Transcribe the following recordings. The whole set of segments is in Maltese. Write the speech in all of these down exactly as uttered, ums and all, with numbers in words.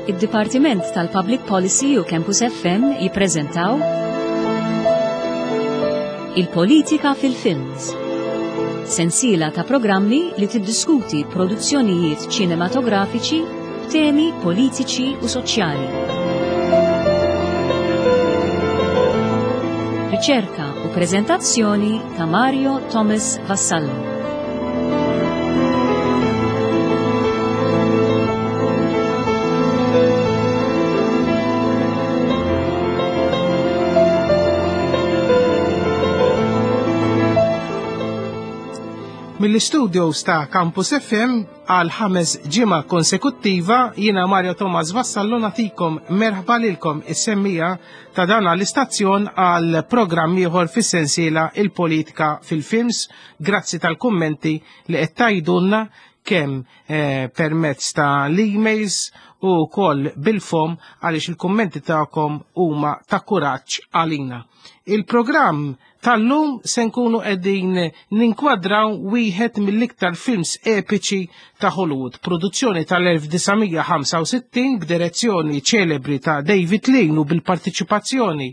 Id-Dipartiment tal-Public Policy u Campus F M jippreżentaw Il-Politika fil-Films. Sensiela ta' programmi li tiddiskuti produzzjonijiet ċinematografiċi b'temi politiċi u soċjali. Riċerka u prezentazzjoni ta' Mario Thomas Vassallo. Mill-studios ta' Campus F M għal ħames ġimgħa konsekuttiva, jiena Mario Thomas Vassallo nagħtikom merħba lilkom is-semmiegħa ta' dan l-istazzjon għal programm ieħor fis-sensiela Il-Politika fil-Films. Grazzi tal-kummenti li qed tgħidulna kemm eh, permezz ta' l-emails u wkoll bil-fom, għaliex il-kummenti tagħkom huma ta' kuraġġ għalina. Il-programm tal-lum se nkunu qegħdin ninkwadraw wieħed mill-iktar films epiċi ta' Hollywood, produzzjoni tal-elf disa' mija ħamsa u sittin b'direzzjoni ċelebri ta' David Lean u bil-partiċipazzjoni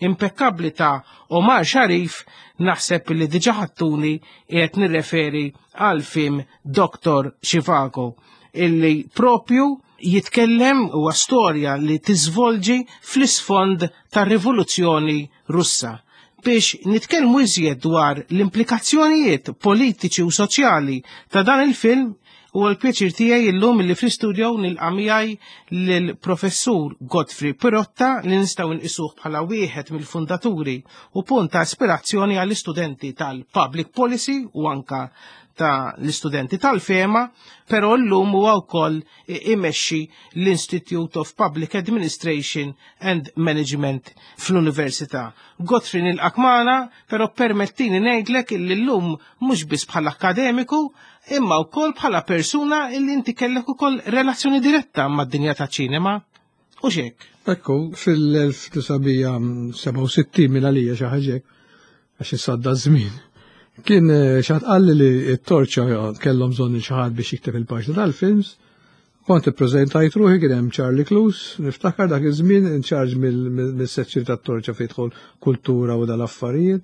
impeccabli ta' Omar Sharif. Naħseb li diġa ħattuni qiegħed nirreferi għal film Doctor Zhivago, illi propju jitkellem u storja li tiżvolġi fl-isfond tar-Rivoluzzjoni Russa. Biex nitkellmu iżjed dwar l-implikazzjonijiet politiċi u soċjali ta' dan il-film, u l-pjaċir tiegħi illum li fl-istudio nilqa' miegħi lill-Professur Godfrey Pirotta, li nistgħu nqisuh bħala wieħed mill-fundaturi u punt ta' ispirazzjoni għall-istudenti tal-Public Policy u anka ta' l-istudenti tal-FEMA, pero llum huwa wkoll imexxi l-Institute of Public Administration and Management fl-Università. Godfrey, nilqak magħna, però permettini ngħidlek illi llum mhux biss bħala akademiku, imma wkoll bħala persuna illi inti kellek ukoll relazzjoni diretta mad-dinja ta' ċinema. U xek? Ekku, fil-elf disa' mija seba' u sittin minn għalija xi ħaġa, għax issa żmien. Kien eh, xi ħadd qalli li t-Torċa kellhom bżonn xi ħadd biex jikteb il-paġna tal-films. Kont ippreżentajt ruħi, kien hemm Charlie Cluse, niftakar dak iż-żmien in charge mill-sezzjoni tat-Torċa fejn tidħol kultura u dal-affarijiet.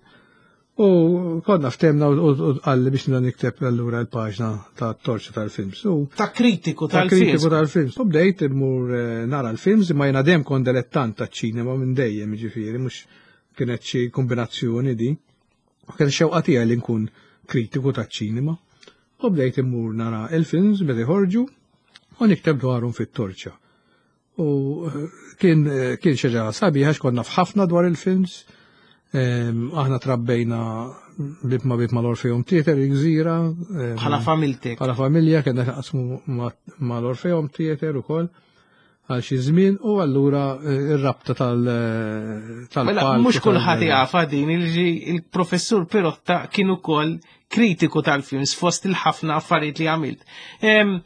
U konna ftemna u qalli biex nibda nikteb allura l-paġna ta' Torċa tal-films. U Ta' kritiku ta' tal-films. Kritiku tal-films. U bdejt immur eh, nara l-films, imma jena dejjem kont dilettant ta' ċinema minn dejjem, ġifieri, mhux kienet xi kombinazzjoni di. U kien xewqa tiegħi li nkun kritiku ta' ċinema. U bdejt immur nara il-films meta jħorġu u nikteb dwarhom fit-Torċa. U eh, kien eh, kien xi ħaġa sabiħa għax konna f'ħafna dwar il-films. Em, Aħna trabbejna bib ma bib mal-Orpheum Theater il-Gżira. em, Bħala familtek. Bħala familja kena naqsmu mal-Orpheum Theater ukoll għal xi żmien u allura eh, ir-rabta tal tal Mela, mhux kulħadd jafa din il il-professur Pirotta kien ukoll kritiku tal-films fost il-ħafna affarijiet li għamilt. Em,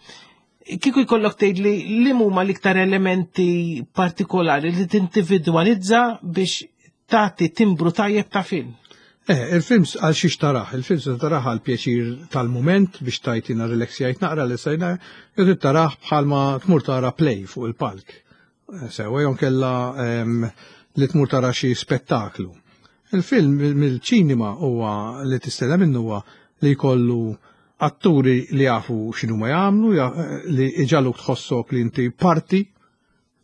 Kieku jkollok tgħid li li huma l-iktar elementi partikolari li tindividwalizza biex tagħti timbru tajjeb ta' film. Eh, il-films għal xiex tarah, il-films tarah għal pjaċir tal-moment biex tajtina relaxjajt naqra li sajna, jew tarah bħalma tmur tara play fuq il-palk. Eh, Sewa jew kella em, li tmur tara xi spettaklu. Il-film mill-ċinema huwa li tistenna minnu huwa li jkollu atturi li jafu x'inhu ma jagħmlu, ja- li iġagħluk tħossok li inti parti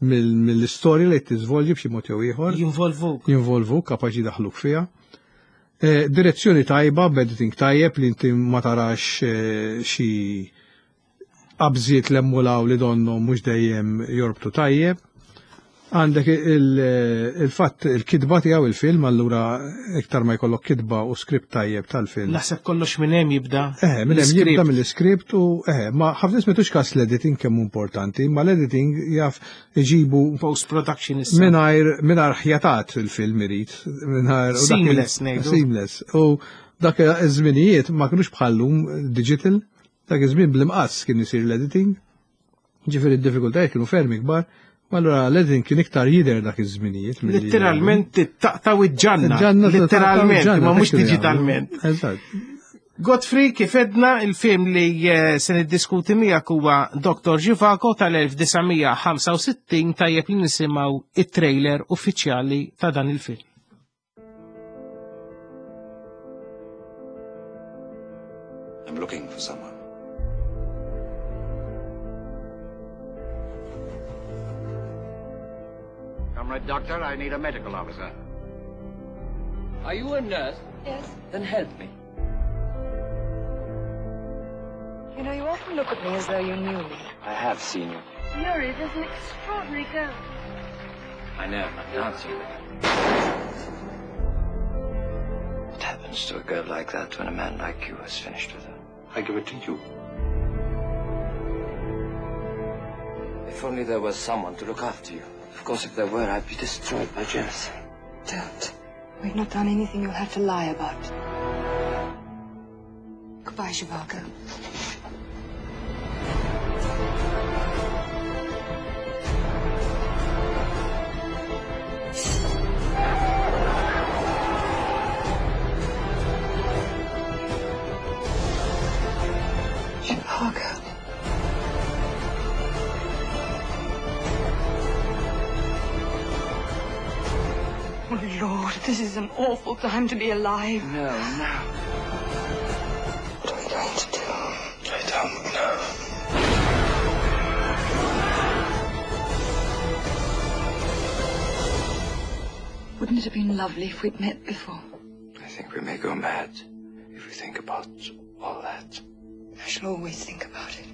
mill- mill-istorja li tiżvolġi b'xi mod jew ieħor. Jinvolvuk. Jinvolvu, kapaċi daħluk fiha. Eh, direzzjoni tajba, b'editing tajjeb li inti ma tarax eh, xi qabżiet l-emmulaw li donnu mhux dejjem jorbtu tajjeb. Għandek il-fatt il-kitba tiegħu il-film, allura iktar ma jkollok kitba u skript tajjeb tal-film. Naħseb kollox minn hemm jibda. Eh, minn hemm L-script. jibda mill-iskript u eh, ma ħafna nies m'għandux kas l-editing kemm hu importanti, ma l-editing jaf iġibu Post-production issa. Mingħajr mingħajr ħjatat il-film irid. Mingħajr u dak il- Seamless, ngħidu. Seamless. U dak iż-żminijiet ma kinux bħallum digital, dak iż-żmien bl-imqass kien isir l-editing. Ġifieri d-diffikultajiet kienu ferm ikbar, u allura l-editing kien iktar jidher dak iż-żminijiet milli- Literalment taqtaw iġġanna. Il-ġanna Literalment, taqtaw ma mhux il-ġanna, digitalment. Eżatt. Godfrey, kif edna il-film li eh, se niddiskuti miegħek huwa Doktor Zhivago tal-elf disa' mija ħamsa u sittin, tajjeb li nisimgħu it-trailer uffiċjali ta' dan il-film. I'm looking for someone. Comrade Doctor, I need a medical officer. Are you a nurse? Yes. Then help me. You know, you often look at me as though you knew me. I have seen you. Yuri, there's an extraordinary girl. I know, I'm dancing with her. What happens to a girl like that when a man like you has finished with her? I give it to you. If only there was someone to look after you. Of course, if there were, I'd be destroyed by jealousy. Don't. We've not done anything you'll have to lie about. Goodbye, Zhivago. Zhivago. Oh, Lord, this is an awful time to be alive. No, no. What are we going to do? I don't know. Wouldn't it have been lovely if we'd met before? I think we may go mad if we think about all that. I shall always think about it.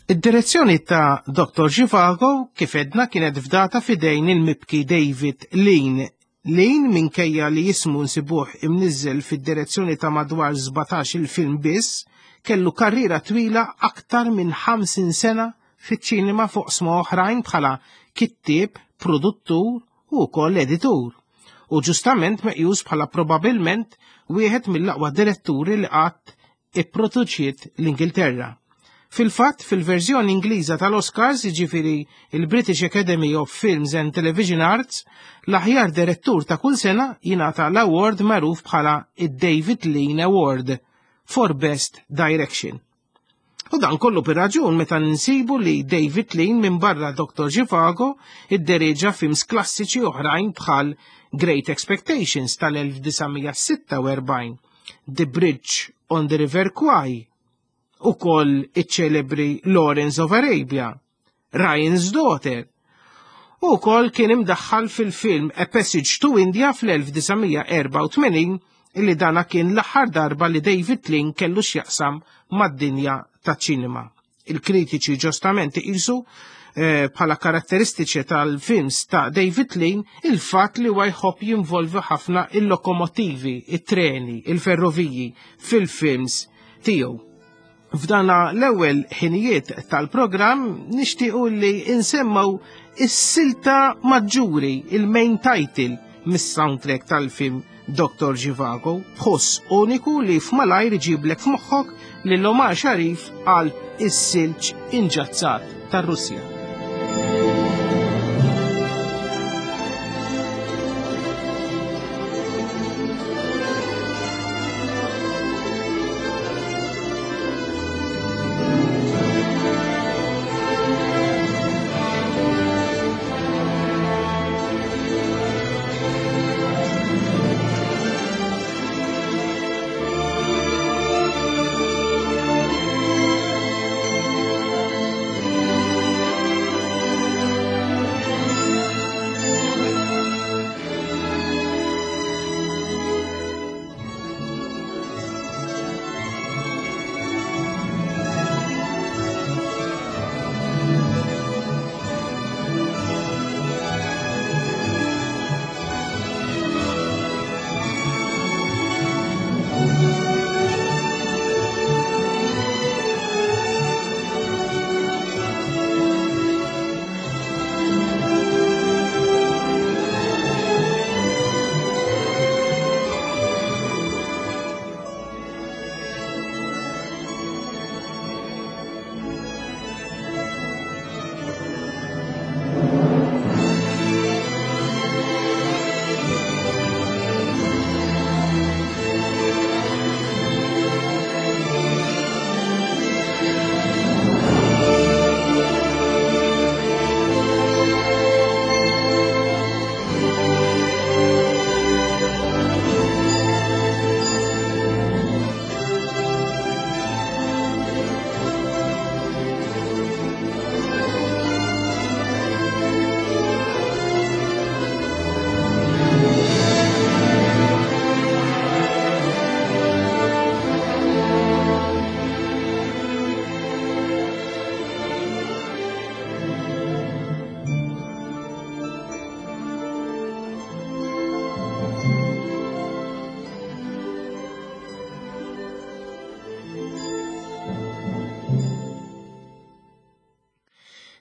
Id-direzzjoni ta' Doktor Zhivago kif edna kienet fdata fidejn il-mibki David Lean. Lean, minkejja li jismu nsibuh imniżżel fid-direzzjoni ta' madwar sbatax il-film biss, kellu karriera twila aktar minn ħamsin sena fiċ-ċinema fuq sma oħrajn bħala kittieb, produttur u wkoll editur. U ġustament meqjus bħala probabilment wieħed mill-aqwa diretturi li qatt ipproduċiet l-Ingilterra. Fil-fatt, fil-verżjoni Ingliża tal-Oscars, jiġifieri il-British Academy of Films and Television Arts, l-aħjar direttur ta' kull sena jingħata l-award magħruf bħala id-David Lean Award for Best Direction. U dan kollu per raġun meta nsibu li David Lean minn barra Doktor Zhivago iddereġa films klassiċi oħrajn bħal Great Expectations tal-elf disa' mija sitta u erbgħin, The Bridge on the River Kwai, u koll iċ-ċelebri Lawrence of Arabia, Ryan's Daughter, u koll kien imdaħħal fil-film A Passage to India fl-elf disa' mija erba' u tmenin, illi dana kien l-aħħar darba li David Lean kellu x'jaqsam mad-dinja taċ-ċinema. Il-kritiċi ġustament iqisu, eh, bħala karatteristiċi tal-films ta' David Lean il-fatt li huwa jħobb jinvolvi ħafna il-lokomotivi, it-treni, il-ferroviji fil-films tiegħu. F'dana l-ewwel ħinijiet tal-programm nixtiequ li insemmaw is-silta maġġuri, il-main title mis-soundtrack tal-film Doktor Zhivago, b'ħoss uniku li f'malajr iġiblek f'moħħok lil Omar Sharif għal is-silġ inġazzat tar-Russja. Thank you.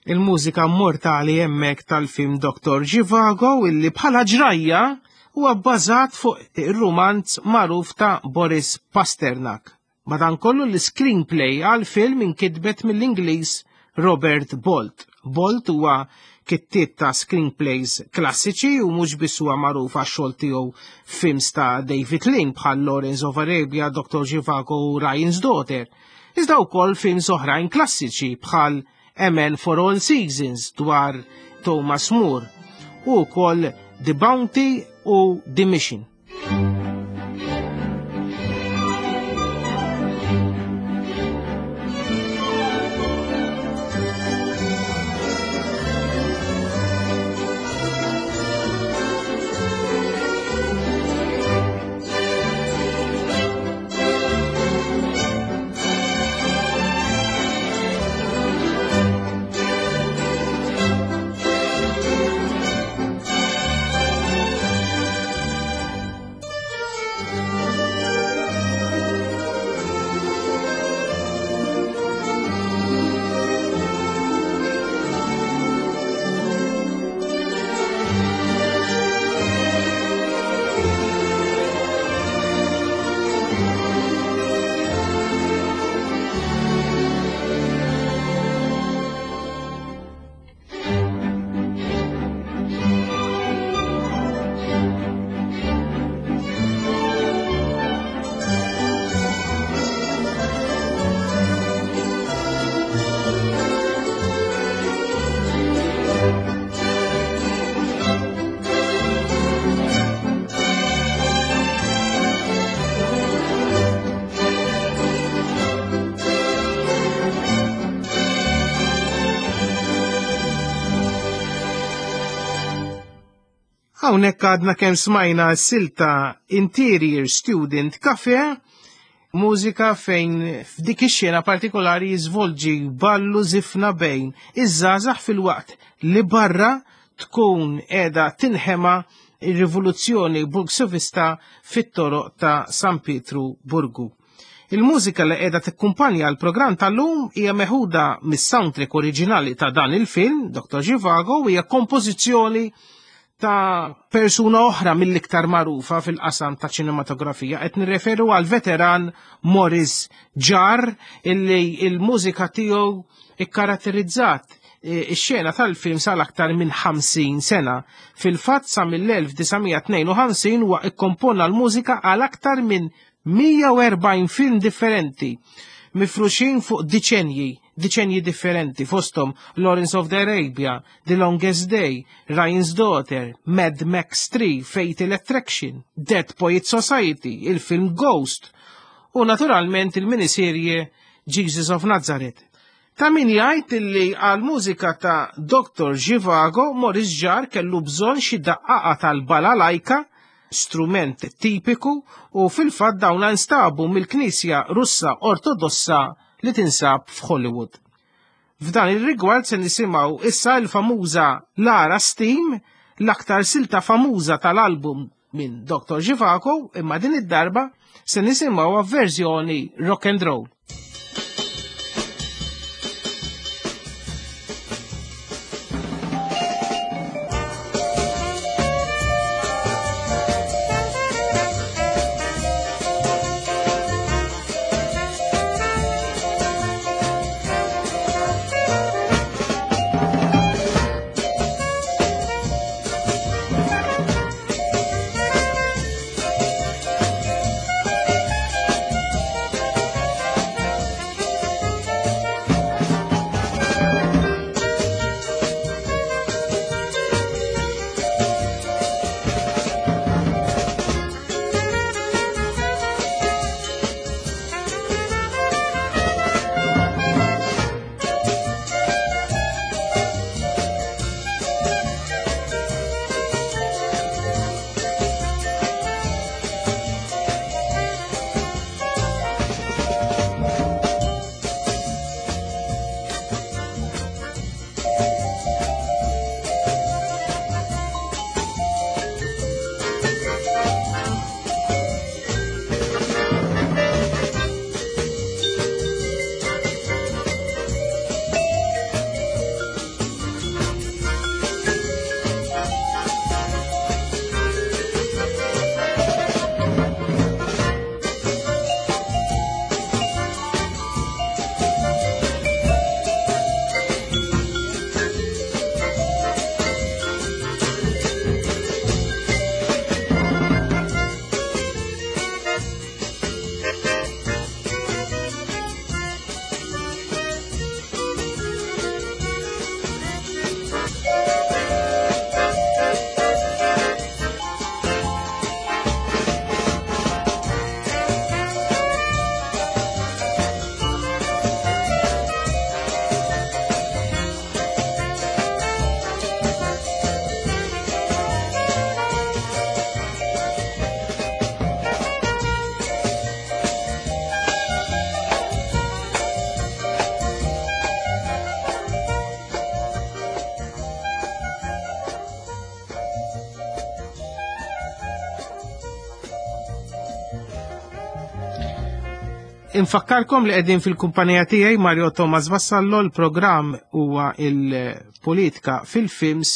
Il-mużika mortali hemmhekk tal-film Doctor Zhivago illi bħala ġrajja huwa bbażat fuq ir-rumanz magħruf ta' Boris Pasternak. Madankollu l-screenplay għal-film inkitbet mill-Ingliż Robert Bolt. Bolt huwa kittieb ta' screenplays klassiċi u mhux biss huwa magħruf għax-xogħol tiegħu films ta' David Lean bħal Lawrence of Arabia, Doctor Zhivago u Ryan's Daughter. Iżda wkoll films oħrajn klassiċi bħal A Man for All Seasons dwar Thomas More u wkoll The Bounty u The Mission. Hawnhekk għadna kemm smajna s-silta Interior Student Cafe, mużika fejn f'dik ix-xena partikolari jiżvolġi ballu żifna bejn iż-żgħażagħ fil-waqt li barra tkun qiegħda tinħema ir-rivoluzzjoni bolxevista fit-toroq ta' San Pietru Burgu. Il-mużika li qiegħda tikkumpanja l-programm tal-lum hija meħuda mis-soundtrack oriġinali ta' dan il-film, Doctor Zhivago, u hija kompożizzjoni ta' persuna oħra mill-iktar magħrufa fil-qasam ta' ċinematografija. Qed nirreferu għal veteran Maurice Jarre illi il-mużika tiegħu ikkaratterizzat ix-xena tal-film sal-aktar minn ħamsin sena. Fil-fatt sa mill-elf disa' mija tnejn u ħamsin huwa ikkompona l-mużika għal aktar minn mija u erbgħin film differenti, mifruxin fuq diċenji, diċenji differenti, fosthom Lawrence of the Arabia, The Longest Day, Ryan's Daughter, Mad Max three, Fatal Attraction, Dead Poets Society, il-film Ghost u naturalment il-miniserje Jesus of Nazareth. Ta' min jgħid illi għal mużika ta' Doctor Zhivago Maurice Jarre kellu bżonn xi daqqaqa tal-balalajka, strument tipiku, u fil-fatt dawn instabu mill-Knisja Russa Ortodossa li tinsab f'Hollywood. F'dan ir-rigward se nisimgħu issa l-famuża Lara Steam, l-aktar silta famuża tal-album minn Doctor Zhivago, imma din id-darba se nisimgħu verżjoni rock and roll. Thank you. Infakkarkom li qegħdin fil-kumpanija tiegħi Mario Thomas Vassallo, l-programm huwa il-politika fil-films,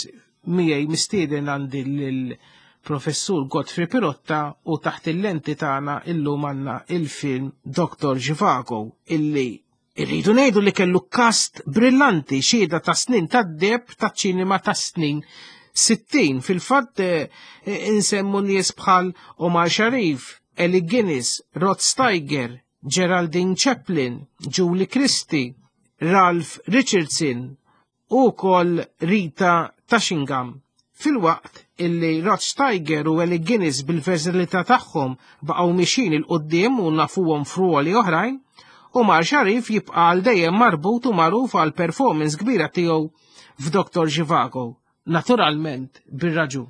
miegħi mistieden għandi lill-professur Godfrey Pirotta u taħt il-lenti tagħna illum għandna il-film Doctor Zhivago illi irridu ngħidu li kellu cast brillanti, xhieda ta' snin tad-deheb taċ-ċinema ta' snin sittin. Fil-fatt eh, insemmu nies bħal Omar Sharif, Alec Guinness, Rod Steiger, Geraldine Chaplin, Julie Christie, Ralph Richardson u kol Rita Tushingham. Fil-waqt illi Rod Steiger u Alec Guinness bil-versatilità tagħhom baqgħu mixin il-qoddim u nafuhom f'ruoli oħrajn, Omar Sharif jibqa' għal dejjem marbut u magħruf għal performance kbira tiegħu f'Doktor Zhivago, naturalment bir-raġun.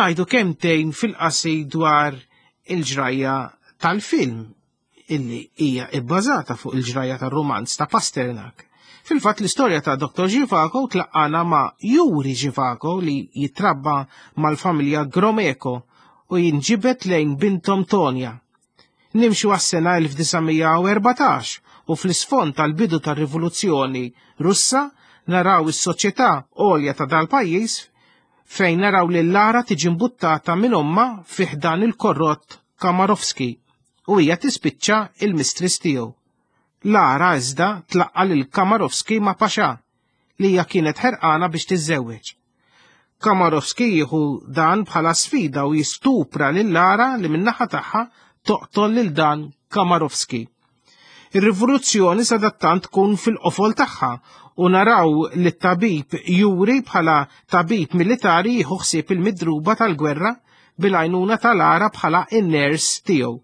Ngħidu kemtejn fil-qasir dwar il-ġrajja tal-film illi hija ibbażata fuq il-ġrajja tar-romanz ta' Pasternak. Fil-fatt l-istorja ta' Doktor Zhivago tlaqqana ma' Yuri Zhivago li jitrabba mal-familja Gromeko u jinġibet lejn bintom Tonya. Nimxu għas-sena elf disa' mija u erbatax u fl-isfond tal-bidu tar-rivoluzzjoni Russa naraw is-soċjetà għolja ta' dal-pajjiż fejn naraw li Lara tiġi mbuttata minn omma fi ħdan il-korrott Kamarovski u hija tispiċċa il-mistris tiegħu. Lara iżda tlaqqa lil Kamarovski ma' Paxa li hija kienet ħerqana biex tiżżewweġ. Kamarovski jieħu dan bħala sfida u jistupra lil Lara li min-naħa tagħha toqtol lil dan Kamarovski. Ir-rivoluzzjoni sadattant tkun fil-qofol tagħha u naraw li t-tabib Yuri bħala tabib militari jieħu ħsieb il-midruba tal-gwerra bil-għajnuna tal-Lara bħala in-ners tiegħu.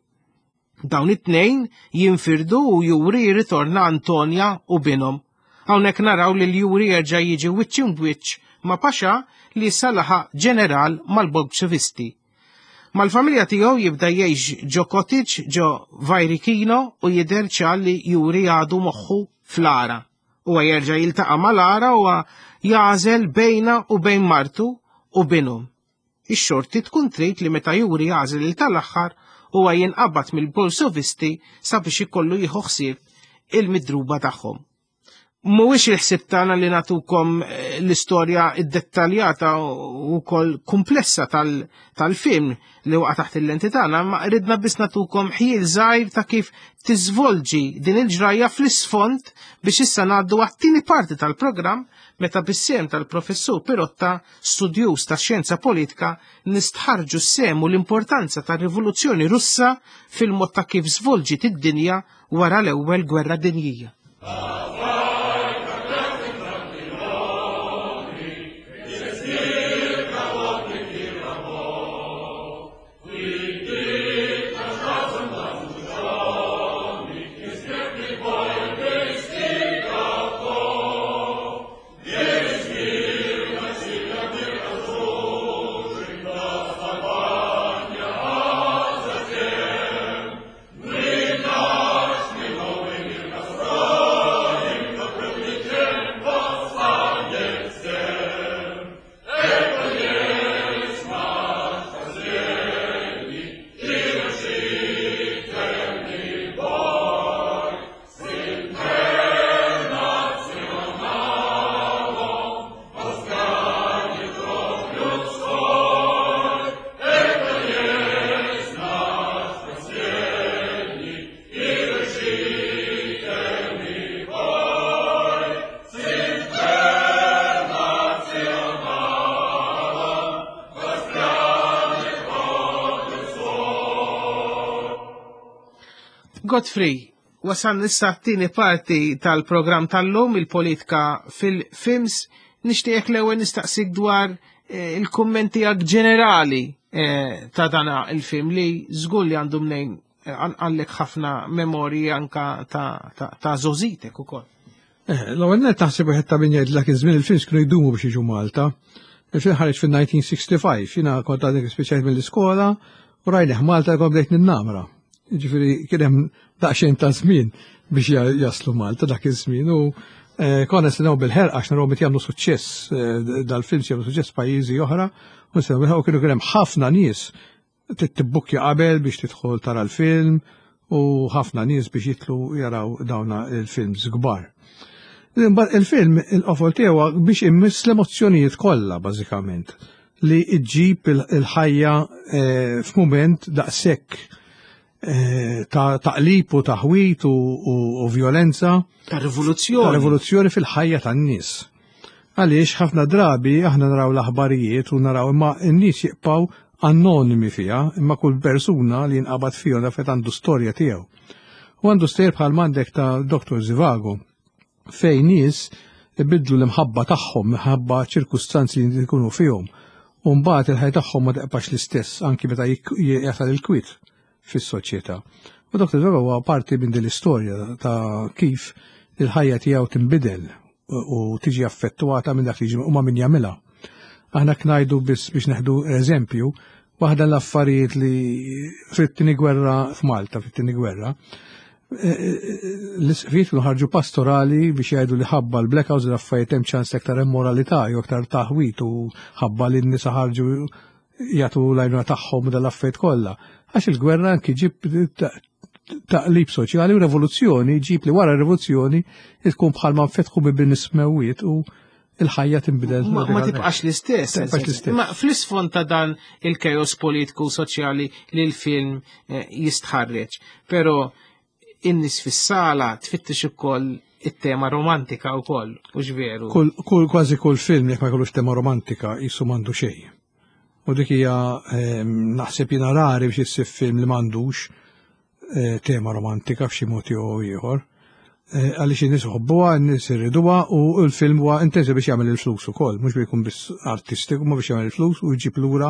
Dawn it-tnejn jinfirdu u Yuri jirritorna Antonia u binhom. Hawnhekk naraw li l-Yuri jerġa' jiġi wiċċ imbwiċċ ma' Paxa li issa laħaq ġeneral mal-Bolxevisti. Mal-familja tiegħu jibda jgħix ġo cottage ġo Vajrikino u jidher ċar li Yuri għadu moħħu fl-Lara. Huwa jerġa' jiltaqa' mal-Lara u jażel bejna u bejn martu u binhom. Ix-xorti tkun trid li meta Yuri jażel il tal-aħħar huwa jinqabad mill-Bolxevisti sabiex ikollu jieħu ħsieb il-midruba tagħhom. Mhuwiex il-ħsieb tagħna li nagħtukom l-istorja iddettaljata u wkoll komplessa tal-, tal-film li waqa' taħt il-lenti tagħna, ma ridna biss nagħtukom ħjiel żgħir ta' kif tiżvolġi din il-ġrajja fl-isfond biex issa ngħaddu għat-tieni parti tal-programm meta bis-sehem tal-professur Pirotta, studjuż ta' xjenza politika, nistħarġu s-sehem u l-importanza tar-Rivoluzzjoni Russa fil-mod ta' kif żvolġiet id-dinja wara l-ewwel Gwerra Dinjija. We Godfrey, wasalna issa t-tieni parti tal-programm tal-lum, il-politika fil-films. Nixtieqek l-ewwel nistaqsik dwar eh, il-kummenti ġenerali eh, ta' dana il-film li żgur li għandu mnejn eh, għallek ħafna memorji anka ta', ta, ta' żgħożitek ukoll. Eh, L-ewwel nett taħseb wieħed ta' min jgħid dak iż-żmien il-films kienu jdumu biex jiġu Malta. Il-film ħareġ fil-elf disa' mija u ħamsa u sittin, jiena kont għadni speċjali mill-iskola u rajnih Malta, kont bdejt ninnamra. Ġifieri kien hemm daqsxejn ta' żmien biex jaslu Malta dak iż-żmien u eh, konna nistennew bil-ħerqa għax naraw meta jagħmlu suċċess, eh, dal-films jagħmlu suċċess pajjiżi oħra, u nistennew bil-ħerqa u kienu kien hemm ħafna nies tibbukkja qabel biex tidħol tara l-film u ħafna nies biex jidħlu jaraw dawna il-films kbar. Il-film, il-qofol tiegħu biex immiss l-emozzjonijiet kollha bażikament li iġġib il-ħajja eh, f'mument daqshekk eh, ta' taqlib u taħwit u violenza. Ta' rivoluzzjoni. Ta' rivoluzzjoni fil-ħajja tan-nies. Għaliex ħafna drabi aħna naraw l-aħbarijiet u naraw, imma n-nies jibqgħu anonimi fiha, imma kull persuna li jinqabad fihom dafet għandu storja tiegħu. U għandu stejjer bħal m'għandek ta' Doktor Zivago, fejn nies ibidlu l-imħabba tagħhom minħabba ċirkustanzi li jkunu fihom. U mbagħad il-ħajja tagħhom ma tibqax l-istess anki meta jasal il-kwit fis-soċjetà. U Doktor Zivago huwa parti minn din l-istorja ta' kif il-ħajja tiegħu tinbidel u tiġi affettwata minn dak li jiġi u ma' min jagħmilha. Aħna ngħidu biss biex neħdu eżempju, waħda l-affarijiet li fit-tieni gwerra f'Malta, fit-tieni gwerra, l-isqfijiet kienu ħarġu pastorali biex jgħidu li ħabba l-blackouts l-affarijiet hemm ċans aktar immoralità jew aktar taħwit u ħabba li n-nisa ħarġu jagħtu l-għajnuna tagħhom dal-affarijiet kollha. Għax il-gwerra anki ġib taqlib soċjali u revoluzzjoni, ġib li wara rivoluzzjoni tkun bħalma nfetħu bibien is-smewwiet u il-ħajja tinbidel. Ma, ma tibqax l-istess. Tibqax l-istess. Ma fl-isfond ta' dan il-chaos politiku soċjali li l-film eh, jistħarreġ. Pero in-nies fis-sala tfittix ukoll it-tema romantika wkoll, u veru? Kull, kull, kważi kull film jekk ma jkollux tema romantika jisu m'għandu xejn. U dik hija ehm, naħseb jiena rari biex issib film li m'għandux eh, tema romantika f'xi mod jew ieħor. Eh, Għaliex in-nies iħobbuha, n-nies irriduha u l-film huwa intensi biex jagħmel il-flus ukoll, mhux biex jkun biss artistiku, ma biex jagħmel il-flus u jġib lura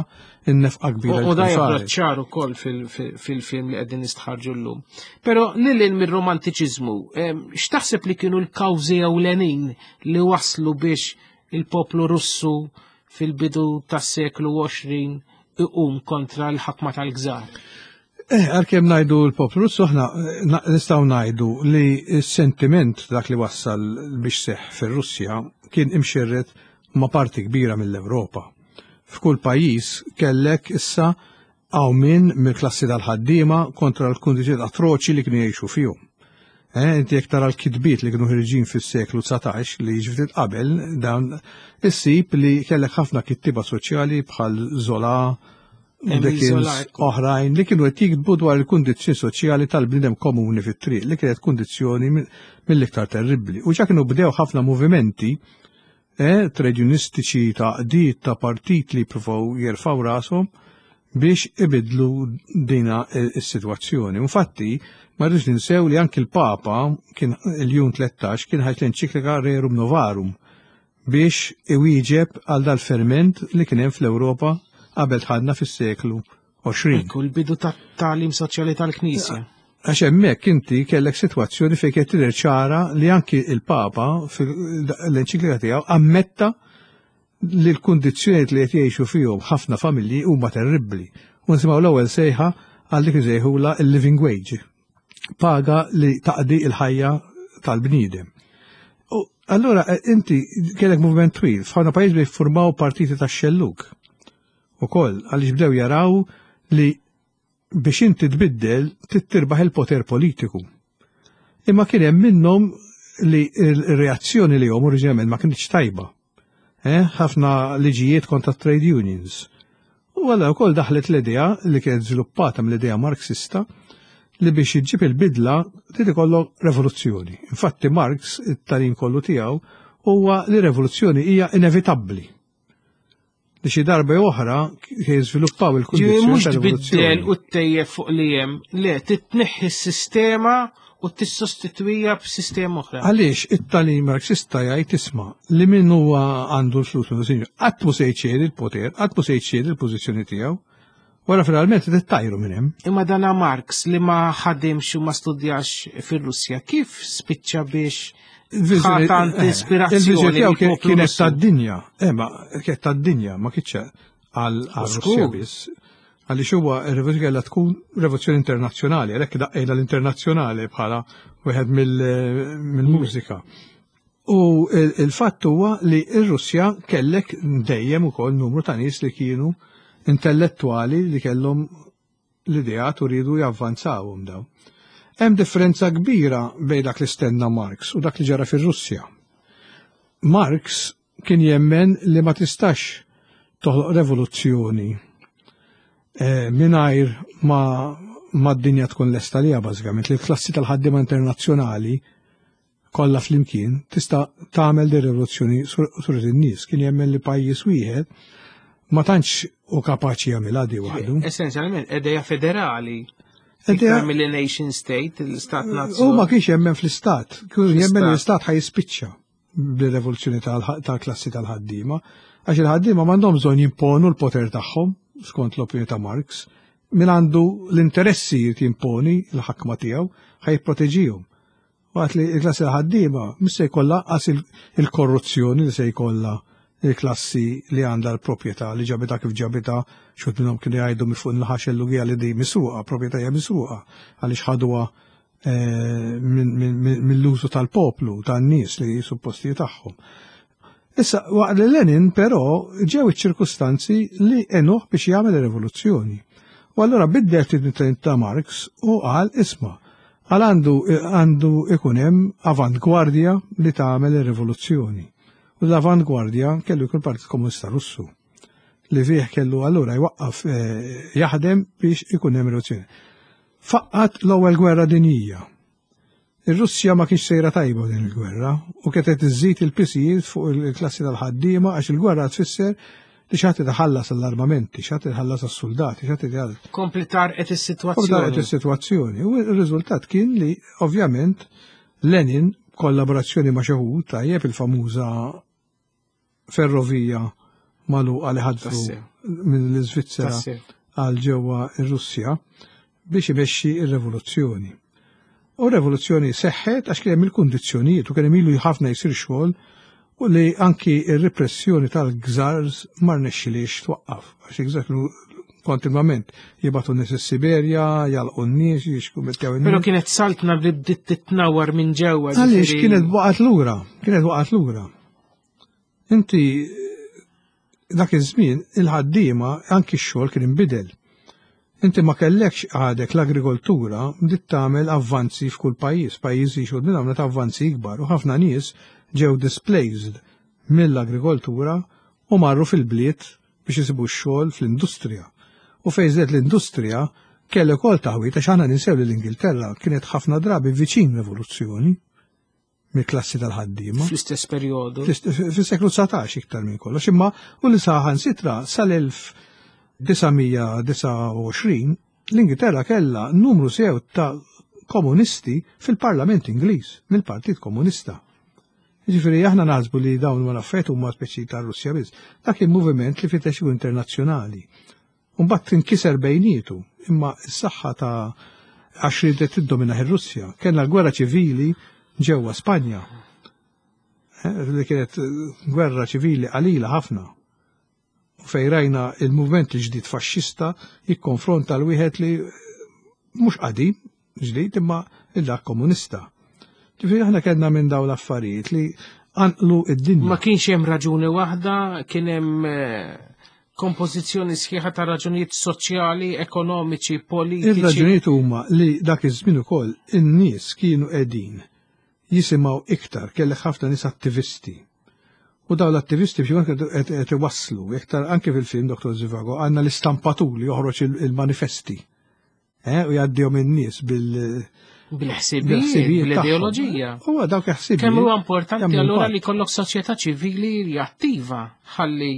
n-nefqa kbira U li u da tkun joħroġ saret. ċar ukoll fil- fil- fil-film li qegħdin nistħarġu llum. Però lil hinn mir-romantiċiżmu, em, x'taħseb li kienu l-kawżi ewlenin li waslu biex il-poplu Russu fil-bidu tas-seklu għoxrin iqum kontra l-ħakma tal-gżar? Eh, għalkemm ngħidu l-poplu Russu, aħna eh, na- nistgħu ngħidu li s-sentiment dak li wassal biex seħ fir-Russja kien imxerret ma' parti kbira mill-Ewropa. F'kull pajjiż kellek issa qawmien mill-klassi tal-ħaddiema kontra l-kundizzjonijiet atroċi li kienu jgħixu fihom. Eh, inti jekk tara l-kitbiet li kienu ħirġin fis-seklu dsatax li ġiftit qabel, dawn issib li kellek ħafna kittiba soċjali bħal Zola, Emile Dickens, Zola, ekku. oħrajn li kienu qed jiktbu dwar il-kundizzjoni soċjali tal-bniedem komuni fit-triq li kienet kundizzjoni mill- mill-iktar terribbli. U ġa kienu bdew ħafna movimenti eh, trade unionistiċi, ta' qdiet ta' partit li provaw jerfaw rashom biex ibidlu dina is-sitwazzjoni. Infatti, ma rridx ninsew li anki l-Papa kien il-Ljun tlettax kien ħareġ l-enċiklika Rerum Novarum biex iwieġeb għal dal-ferment li kien hemm fl-Ewropa qabel dħalna fis-seklu għoxrin. Ekku, l-bidu tat-tagħlim soċjali tal-Knisja. Għax hemmhekk inti kellek sitwazzjoni fejn kienet tidher ċara li anki il-Papa fil-enċiklika tiegħu ammetta li l-kundizzjonijiet li qed jgħixu fihom ħafna familji huma terribbli. U nisimgħu l-ewwel sejħa għal dik isejħula il-living wage, paga li taqdi il-ħajja tal-bniedem. U allura eh, inti kellek moviment twil, f'ħafna pajjiż bi jiffurmaw partiti tax-xellug. Ukoll għaliex bdew jaraw li biex inti tbiddel trid tirbaħ il-poter politiku. Imma kien hemm minnhom li l-reazzjoni li jom oriġinalment ma kienx tajba. Eh, ħafna liġijiet kontra trade unions. U għalla wkoll daħlet l-idea li kienet żviluppata mill-idea Marxista li biex iġġib il-bidla trid ikollok revoluzzjoni. Infatti Marx, it-tagħlim kollu tiegħu huwa li revoluzzjoni hija inevitabbli. Li xi darba oħra jiżviluppaw il-kundizzjoni. Mhux tbiddel u ttejjeb fuq li hemm, le titneħħi s-sistema u tissostitwija b'sistema oħra. Għaliex it-tagħlim Marxista jgħid isma' li min huwa għandu l-flus minnu sinjur, qatt mhu se jċedi l-poter, qatt mhu se jċedi l-pożizzjoni tiegħu. Wara finalment tittajru minn hemm. Imma dana Marx li ma ħadimx u ma studjax fir-Russja, kif spiċċa biex tant ispirazzjoni? Il-viżjoni kienet tad-dinja, eh ma kienet tad-dinja, ma kienx għal Russja biss. Għaliex huwa r-rivoluzzjoni kellha tkun rivoluzzjoni internazzjonali, għalhekk daqqejna l-internazzjonali bħala wieħed mill-mużika. U il-fatt huwa li r-Russja kellek dejjem ukoll numru ta' nies li kienu intellettuali li kellhom l-ideat u rridu javvanzawhom daw. Hemm differenza kbira bejn dak li stenna Marx u dak li ġara fir-Russja. Marx kien jemmen li ma tistax toħloq revoluzzjoni eh, mingħajr ma, ma d-dinja tkun lesta liha bażikament, li l-klassi tal-ħaddiema internazzjonali kollha flimkien tista' tagħmel di rivoluzzjoni sur in-nies. Kien jemmen li pajjiż wieħed ma tantx u kapaċi jagħmilha di waħdu. Essenzjalment idea federali. Idea mill-nation state, l-istat nazzjonali. U ma kienx jemmen fl-istat, kien jemmen li l-istat ħaj jispiċċa bil-rivoluzzjoni tal-klassi tal-ħaddiema, għax il-ħaddiema m'għandhom bżonn jimponu l-poter tagħhom, skont l-opinjoni ta' Marx, min għandu l-interessi jrid jimponi l-ħakma tiegħu ħaj jipproteġihom. Waqt li l-klassi tal-ħaddiema mhux se jkollha qas il-korruzzjoni li se jkollha il-klassi li għandha l-proprjetà li ġabita kif ġabita, xut minnhom kienu jgħidu minn fuq il-ħax il-lugija li di misruqa, proprjetà hija misruqa, għaliex ħaduha mill-użu tal-poplu, tan-nies li supposti tagħhom. Issa, waqt li Lenin però ġew iċ-ċirkustanzi li għenuh biex jagħmel ir-rivoluzzjoni. U allura biddel ftit ta' Marx u qal isma' għal għandu għandu ikun hemm avantgwardja li tagħmel ir-rivoluzzjoni. U l-avantgwardja kellu jkun Partit Komunista Russu li fih kellu allura jwaqqaf jaħdem biex ikun hemm rivoluzzjoni. Faqqat l-ewwel gwerra dinjija. Ir-Russja ma kienx sejra tajba din il-gwerra u kienet iżżid il-pisijiet fuq il-klassi tal-ħaddiema għax il-gwerra tfisser li xi ħadd iħallas għall-armamenti, xi ħadd iħallas għas-soldati, xi ħadd iħallas. Kompli tarqet is-sitwazzjoni. Kompli tarqet is-sitwazzjoni. U r-riżultat kien li ovvjament Lenin kollaborazzjoni ma' xi ħud tajjeb il-famuża ferrovija magħluqa li ħadfu mill-Iżvizzera għal ġewwa r-Russja biex imexxi r-rivoluzzjoni. U r-rivoluzzjoni seħħet għax kien hemm il-kundizzjonijiet u kien hemm ilu ħafna jsir xogħol u li anki r-repressjoni tal-gżars ma rnexxilix twaqqaf għax il-gżars kienu kontinwament jibgħatu n-nies is-Siberja, jalqu n-nies, jixkumettew in-nies. Però kienet saltna li bdiet titnawwar minn ġewwa. Għaliex kienet waqgħet lura, kienet waqgħet lura. Inti dak iż-żmien il-ħaddiema anki x-xogħol kien inbidel. Inti ma kellekx għadek l-agrikoltura bdiet tagħmel avvanzi f'kull pajjiż, pajjiżi xogħol minn għamlet avvanzi ikbar u ħafna nies ġew displaced mill-agrikoltura u marru fil-bliet biex isibu x-xogħol fl-industrija. U fejn żdiet l-industrija kellek ukoll taħwit għax aħna ninsew li l-Ingilterra kienet ħafna drabi viċin rivoluzzjoni mill-klassi tal-ħaddiema. Fl-istess perjodu. Fis-seklu dsatax iktar minn kollox, imma u li saħan sitra sal-elf disa' mija disa' u għoxrin l-Ingilterra kellha numru sew ta' komunisti fil-Parlament Ingliż, mill-Partit Komunista. Jiġifieri aħna naħsbu li dawn ma affarijiet huma speċi tar-Russja biss. Dak kien moviment li fittex internazzjonali. U mbagħad tinkiser bejnietu, imma s-saħħa ta' għax ridet tiddomina ir-Russja. Kellna l-gwerra ċivili ġewwa Spanja, li kienet gwerra ċivili qalila ħafna. U fejn rajna il-movement il-ġdid faxxista jikkonfronta l-wieħed li mhux qadim ġdid imma il-dak komunista. Ġifieri aħna kellna minn dawn l-affarijiet li anqlu id-dinja. Ma kienx hemm raġuni waħda, kien hemm kompożizzjoni sħiħa ta' raġunijiet soċjali, ekonomiċi, politiċi. Ir-raġunijiet huma li dak iż-żmien ukoll in-nies kienu qegħdin jisimgħu iktar, kellek ħafna nies attivisti. U dawn l-attivisti biex qed iwasslu, iktar anke fil-film Doktor Zivago għandna l-istampatur li joħroġ il-manifesti. U jgħaddihom in-nies bil bil-ħsibijiet, bil-ideoloġija. Huwa dawk il-ħsibijiet. Kemm huwa importanti allura li jkollok soċjetà ċivili li attiva ħalli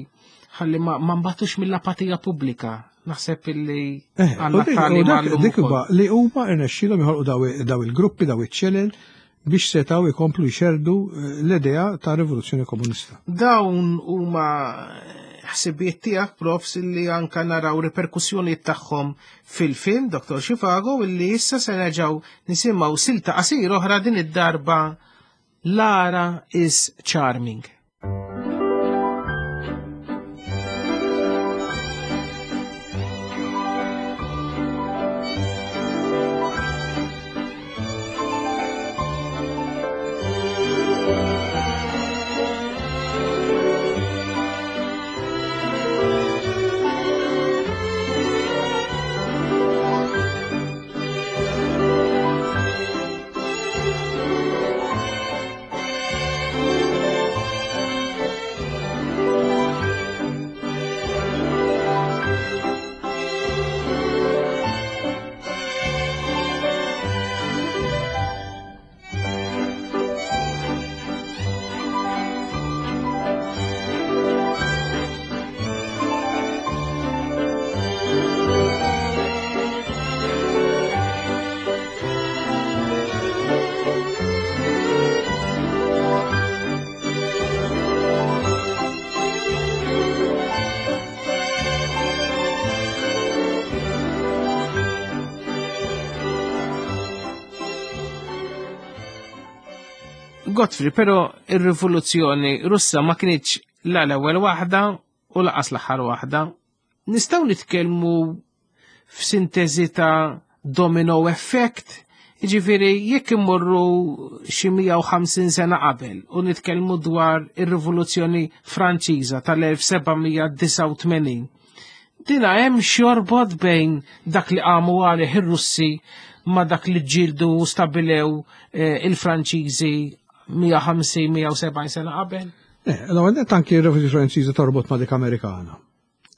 Ħalli ma nbatux mill-apatija pubblika. Naħseb illi eh, għandna tagħlim Dik li huma rnexxielhom joħolqu daw il-gruppi, daw iċ-ċelel biex setaw ikomplu jxerdu eh, l-idea ta' rivoluzzjoni komunista. Dawn huma ħsibijiet tiegħek profs illi anka naraw riperkussjonijiet tagħhom fil-film Dottor Zhivago illi issa se nerġgħu nisimgħu silta qasir oħra din id-darba Lara is Charming. Godfrey, pero ir-rivoluzzjoni Russa ma kinitx la l-ewwel waħda u laqas l-aħħar waħda. Nistgħu nitkellmu f'sintesi ta' domino effect, jiġifieri jekk immorru xi mija u ħamsin sena qabel u nitkellmu dwar ir-rivoluzzjoni Franċiża tal-elf seba' mija disgħa u tmenin. Dina hemm xi jorbot bejn dak li qamu għalih ir-Russi ma dak li ġildu u stabilew, eh, il-Franċiżi mija ħamsin, mija u sebgħin sena qabel? Eh, l-ewwel nett anki r-Rivoluzzjoni Franċiża torbot ma' dik Amerikana.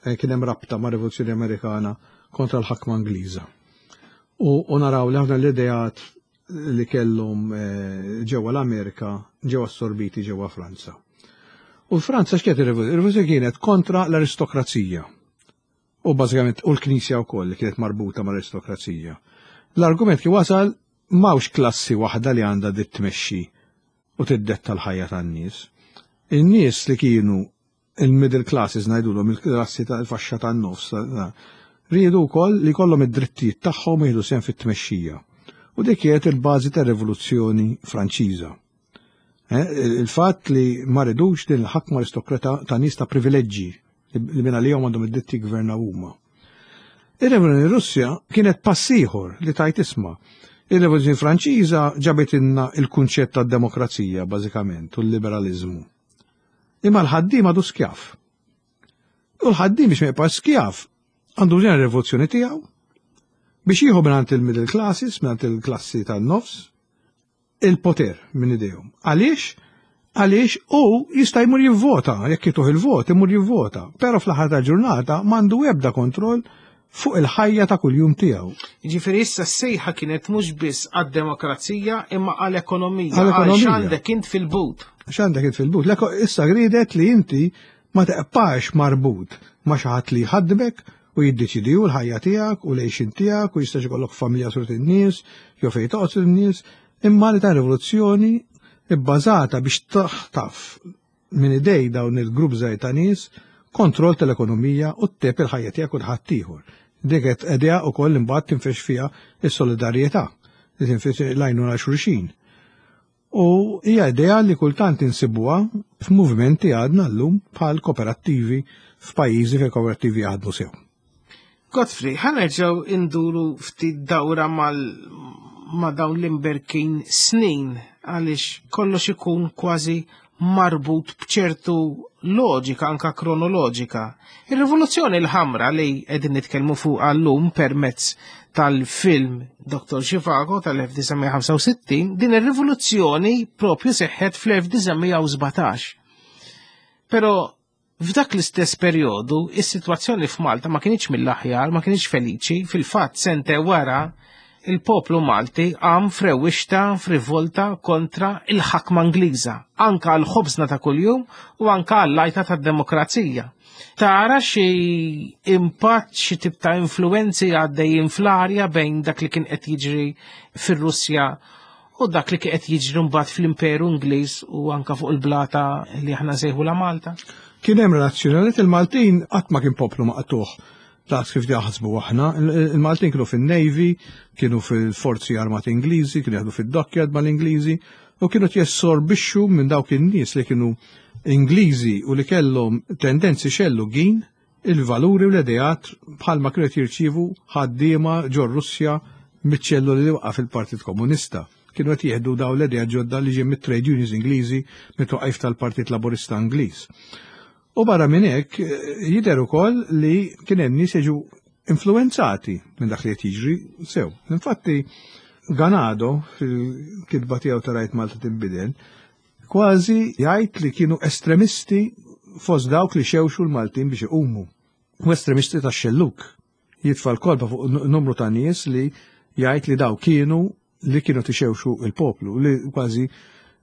Eh, kien hemm rabta ma' Rivoluzzjoni Amerikana kontra l-ħakma Ingliża. U, u naraw li ħafna l-ideat li kellhom, eh, ġewwa l-Amerika ġew assorbiti ġewwa Franza. U Franza x'kienet ir-rivoluzzjoni? Ir-rivoluzzjoni kienet kontra l-aristokrazija. U bażikament u l-Knisja wkoll li kienet marbuta mal-aristokrazija. L-argument kien wasal m'hawnx klassi waħda li għandha dit tmexxi u tiddetta l-ħajja tan-nies. In-nies li kienu il-middle classes ngħidulhom il-klassi tal-faxxa tan-nofs, riedu wkoll li jkollhom id-drittijiet tagħhom jieħdu sehem fit-tmexxija. U dik kienet il-bażi tar-Rivoluzzjoni Franċiża. Eh, il-fatt li ma ridux din il-ħakma aristokrata ta' nies ta' privileġġi li minn għalihom għandhom id-dritt jiggvernaw huma. Ir-Rivoluzzjoni Russja kienet pass ieħor li tajt isma'. Ir-Rivoluzzjoni Franċiża ġabet inna il-kunċett tad-demokrazija bażikament u l-liberaliżmu. Imma l-ħaddiem għadu skjaf. U l-ħaddiem biex ma jibqax skjaf għandu bżonn ir-rivoluzzjoni tiegħu biex jieħu mingħand il-middle classes, mingħand il-klassi tan-nofs, il-poter minn idejhom. Għaliex? Għaliex u jista' jmur jivvota, jekk jituh il-vot, imur jivvota, però fl-aħħar tal-ġurnata m'għandu ebda kontroll fuq il-ħajja ta' kuljum tiegħu. Jiġifieri issa s-sejħa kienet mhux biss għad-demokrazija imma għall-ekonomija. Għall-ekonomija. Għal x'għandek int fil-but. X'għandek int fil-but. Leko issa gridet li inti ma teqpax marbut ma' xi ħadd li jħaddmek u jiddeċidi hu l-ħajja tiegħek u l-għixin tiegħek u jistax ikollok familja sur in-nies jew fejn toqgħod in-nies, imma li ta' rivoluzzjoni bbażata biex taħtaf minn idej dawn il-grupp żgħir ta' nies kontroll tal-ekonomija u tteb il-ħajja tiegħek u l-ħadd ieħor. Dik qed idea wkoll imbagħad tinfex fiha s-solidarjetà, li tinfex l-għajnuna xulxin. U hija idea li kultant insibuha f'movimenti għadna llum bħal kooperattivi f'pajjiżi fejn kooperattivi jaħdmu sew. Godfrey, ħa nerġgħu induru ftit dawra mal ma' dawn l-imberkin snin għaliex kollox ikun kważi marbut b'ċertu loġika, anka kronoloġika. Ir-rivoluzzjoni l-ħamra li qegħdin nitkellmu fuq għallum permezz tal-film Doktor Zhivago tal-elf disa' mija ħamsa u sittin, din ir-rivoluzzjoni propju seħħet fl-elf disa' mija u sbatax. Però f'dak l-istess perjodu, is-sitwazzjoni f'Malta ma kinitx mill-aħjar, ma kinitx feliċi, fil-fatt sente wara il-poplu Malti għam frewixta, frivolta kontra il-ħakma Ingliża, anka għal-ħobżna ta' kuljum u anka għall-lajta tad-demokrazija. Tara xi impatt, xi tip ta' influenzi għaddejjin fl-arja bejn dak li kien qed jiġri fir-Russja u dak li kien qed jiġri mbagħad fl-Imperu Ingliż u anka fuq il-blata li aħna nsejħula Malta? Kien hemm relazzjoni il-Maltin qatt ma kien poplu maqtuħ. Daqs kif jaħsbu aħna, il-Maltin kienu fin-Navy, kienu fil-Forzi Armati Ingliżi, kienu jaħdu fid-dockyard mal-Ingliżi u kienu jessorbixxu minn dawk in-nies li kienu Ingliżi u li kellhom tendenzi xellugin il-valuri u l-ideat bħalma kienu jirċievu ħaddiema ġor Russja miċ-ċelluli li waqa' fil-Partit Komunista. Kienu qed jieħdu daw l-ideat ġodda li ġie mit-trade unions Ingliżi mit-twaqif tal-Partit Laburista Ingliż. U barra minn hekk jidher ukoll li kien hemm nies jiġu influenzati minn dak li qed jiġri sew. Infatti Ganado fil-kitba tiegħu ta' Rajt Malta tinbidel kważi jgħid li kienu estremisti fost dawk li xewxu l-Maltin biex iqumu. U estremisti tax-xelluk. Jitfa' l-kolba fuq numru ta' nies li jgħid li daw kienu li kienu tixewxu il-poplu, li kważi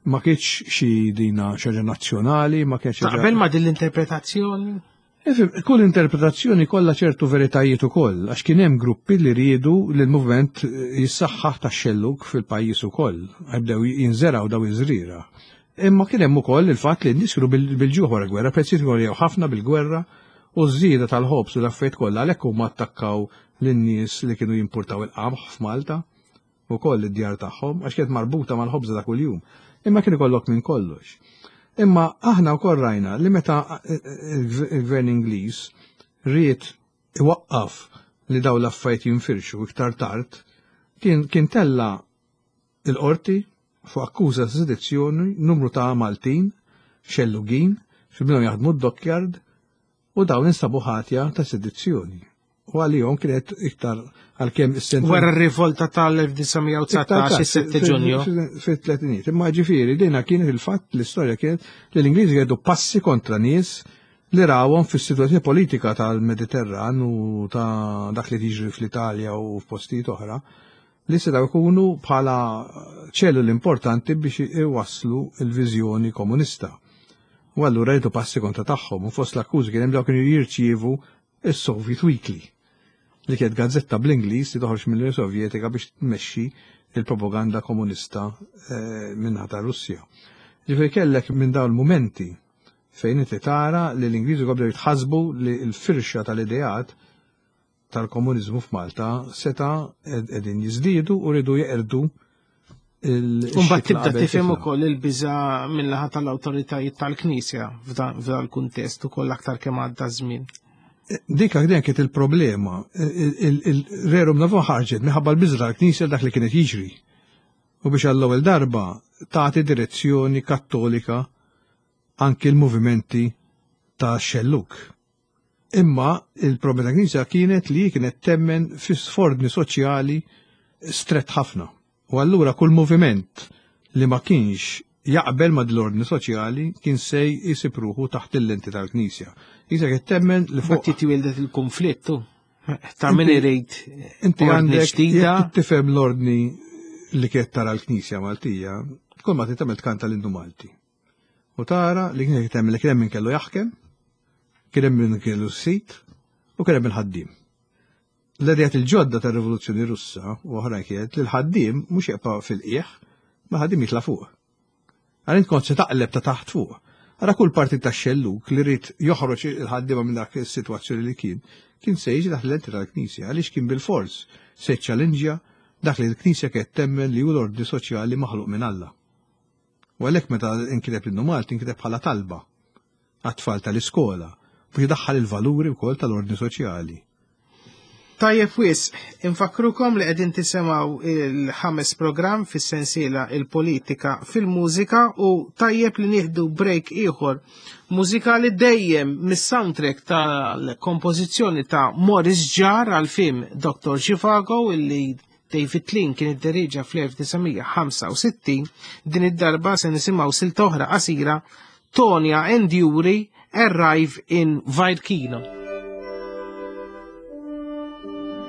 ma kienx xi dina xaġa nazzjonali, ma kienx. Taqbel ma din l-interpretazzjoni? Ifhem, kull interpretazzjoni kollha ċertu veritajiet ukoll, għax kien hemm gruppi li riedu li l-movement jissaħħaħ tax-xelluk fil-pajjiż ukoll, bdew jinżeraw daw iż-żrira. Imma kien hemm ukoll il-fatt li n-nies kienu bil-ġuħ wara gwerra, prezzijiet għoljew ħafna bil-gwerra u ż-żieda tal-ħobż u l-affarijiet kollha għalhekk huma attakkaw lin-nies li kienu jimpurtaw il-qamħ f'Malta ukoll id-djar tagħhom għax kienet marbuta mal-ħobża ta' kuljum. Imma kien ikollok minn kollox. Imma aħna wkoll rajna li meta il-gvern Ingliż ried iwaqqaf li daw l-affarijiet jinfirxu iktar tard, kien, kien tella il-qorti fuq akkuża ta' sedizzjoni numru ta' Maltin, xellugin, xi minnhom jaħdmu d-dockyard u dawn instabu ħatja ta' sedizzjoni. U għalihom kienet iktar għalkemm is-sena. Wara r-rivolta tal-elf disa' mija u dsatax, is-sette Ġunju. Fit-tletinijiet. Imma ġifieri dina kienet il-fatt l-istorja kienet li l-Ingliżi jgħidu passi kontra nies li rawhom fis-sitwazzjoni politika tal-Mediterran u ta' dak li tiġri fl-Italja u f'postijiet oħra li setgħu jkunu bħala ċelluli importanti biex iwasslu l-viżjoni komunista. U allura jgħidu passi kontra tagħhom u fost l-akkużi kien hemm dawk kienu jirċievu is-Soviet Weekly, li kienet gazzetta bl-Ingliż li toħroġ mill-Unjoni Sovjetika biex tmexxi il-propaganda komunista minnaħa ta' Russja. Ġifieri kellek minn dawn il-mumenti fejn inti tara li l-Ingliżi bdew jitħassbu li l-firxa tal-ideat tal-komuniżmu f'Malta seta' qegħdin jiżdiedu u rridu jeqirdu il- Mbagħad tibda tifhem ukoll il-biża' min-naħa tal-awtoritajiet tal-Knisja f'dan il-kuntest ukoll aktar kemm għadda żmien. Dik għadden kienet il-problema, il-Rerum Novum ħarġet minħabba l-biża tal-Knisja dak li kienet jiġri. U biex għall-ewwel darba tagħti direzzjoni kattolika anki l-movimenti ta' xelluk. Imma il-problema tal-Knisja kienet li kienet temmen fi sfordni soċjali strett ħafna. U allura kull moviment li ma kienx jaqbel ma' l-ordni soċjali kien sej isib ruħu taħt il-lenti tal-Knisja. Knisja kienet temmen li fuq. Infatti twieldet il-konflittu. Ta' min irid Inti ordni għandek ġdida. jekk tifhem l-ordni li kienet tara l-Knisja Maltija, kull ma tagħmel tkanta l-Innu Malti. U tara li kienet temmen li kien hemm min kellu jaħkem, kien hemm min kellu s-sit u kien hemm il-ħaddiem. L-idejat il-ġodda tar-Rivoluzzjoni Russa u oħrajn kienet li l-ħaddiem mhux jibqa' fil-qiegħ, ma ħaddiem jitla' fuq. Għal int kont se taqleb ta' taħt fuq. Ara kull partit ta' xelluk li rrid joħroġ il-ħaddiema minn dak is-sitwazzjoni li kien, kien se jiġi taħt l-lenti tal-Knisja, għaliex kien bil-fors se ċċallenġja dak li l-Knisja kienet temmen li hu l-ordni soċjali maħluq minn Alla. U għalhekk meta inkiteb l-Innu Malti inkiteb bħala talba għat-tfal tal-iskola biex idaħħal il-valuri wkoll tal-ordni soċjali. Tajjeb wis, infakkrukom li qegħdin tisimgħu il-ħames programm fis-sensiela il-politika fil-mużika u tajjeb li nieħdu break ieħor mużikali dejjem mis-soundtrack tal-kompożizzjoni ta' Maurice Jarre għal film Doctor Zhivago illi David Lean kien idderieġa fl-elf disa' mija ħamsa u sittin. Din id-darba se nisimgħu silta oħra qasira, Tonya and Yuri Arrive in Varkino. Thank you.